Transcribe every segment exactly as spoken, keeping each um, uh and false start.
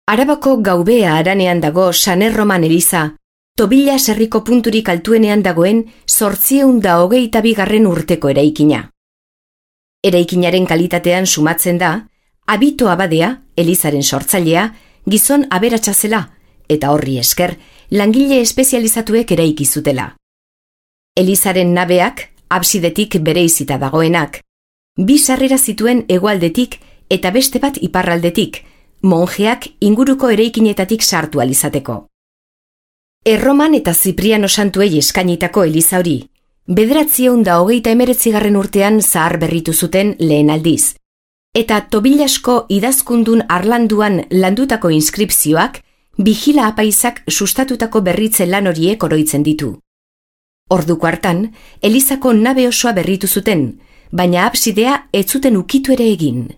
Arabako Gaubea haranean dago San Erroman eliza, Tobilla herriko punturik altuenean dagoen zortziehun da hogeita bigarren urteko eraikina. Eraikinaren kalitatean sumatzen da, Abito abadea, elizaren sortzailea, gizon aberatsa zela, eta horri esker, langile espezializatuek eraiki zutela. Elizaren nabeak, absidetik bereizita dagoenak, bi sarrera zituen hegoaldetik eta beste bat iparraldetik, monjeak inguruko eraikinetatik sartu alizateko. Erroman eta Zipriano santuei eskainitako eliza hori, bederatziehun da hogeita hemeretzigarren urtean zahar berritu zuten lehen aldiz, eta Tobillasko idazkundun harlanduan landutako inskripzioak Vigila apaizak sustatutako berritze lan horiek oroitzen ditu. Orduko hartan, elizako nabe osoa berritu zuten, baina absidea ez zuten ukitu ere egin.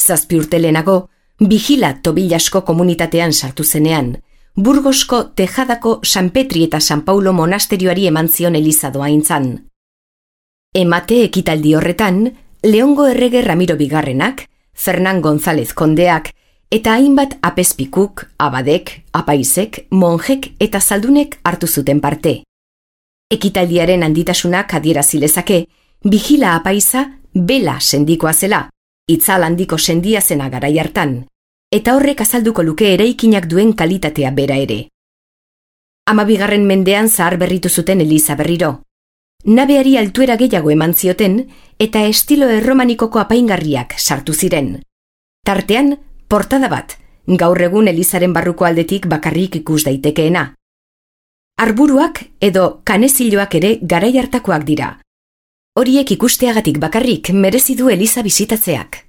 Zazpi urte lehenago, Vigila Tobillasko komunitatean sartu zenean, Burgosko Tejadako San Petri eta San Paulo monasterioari eman zion eliza doaintzan. Emate ekitaldi horretan, Leongo errege Ramiro Bigarrenak, Fernan González kondeak, eta hainbat apezpikuk, abadek, apaizek, monjek eta zaldunek hartu zuten parte. Ekitaldiaren handitasunak adierazi lezake, Vigila apaiza bela sendikoa zela, itzal handiko sendia zena garai hartan, eta horrek azalduko luke eraikinak duen kalitatea bera ere. Hamabigarren mendean zahar berritu zuten eliza berriro. Nabeari altuera gehiago eman zioten, eta estilo erromanikoko apaingarriak sartu ziren. Tartean, portada bat, gaur egun elizaren barruko aldetik bakarrik ikus daitekeena. Arburuak edo kaneziloak ere garai hartakoak dira. Horiek ikusteagatik bakarrik merezi du eliza bisitatzeak.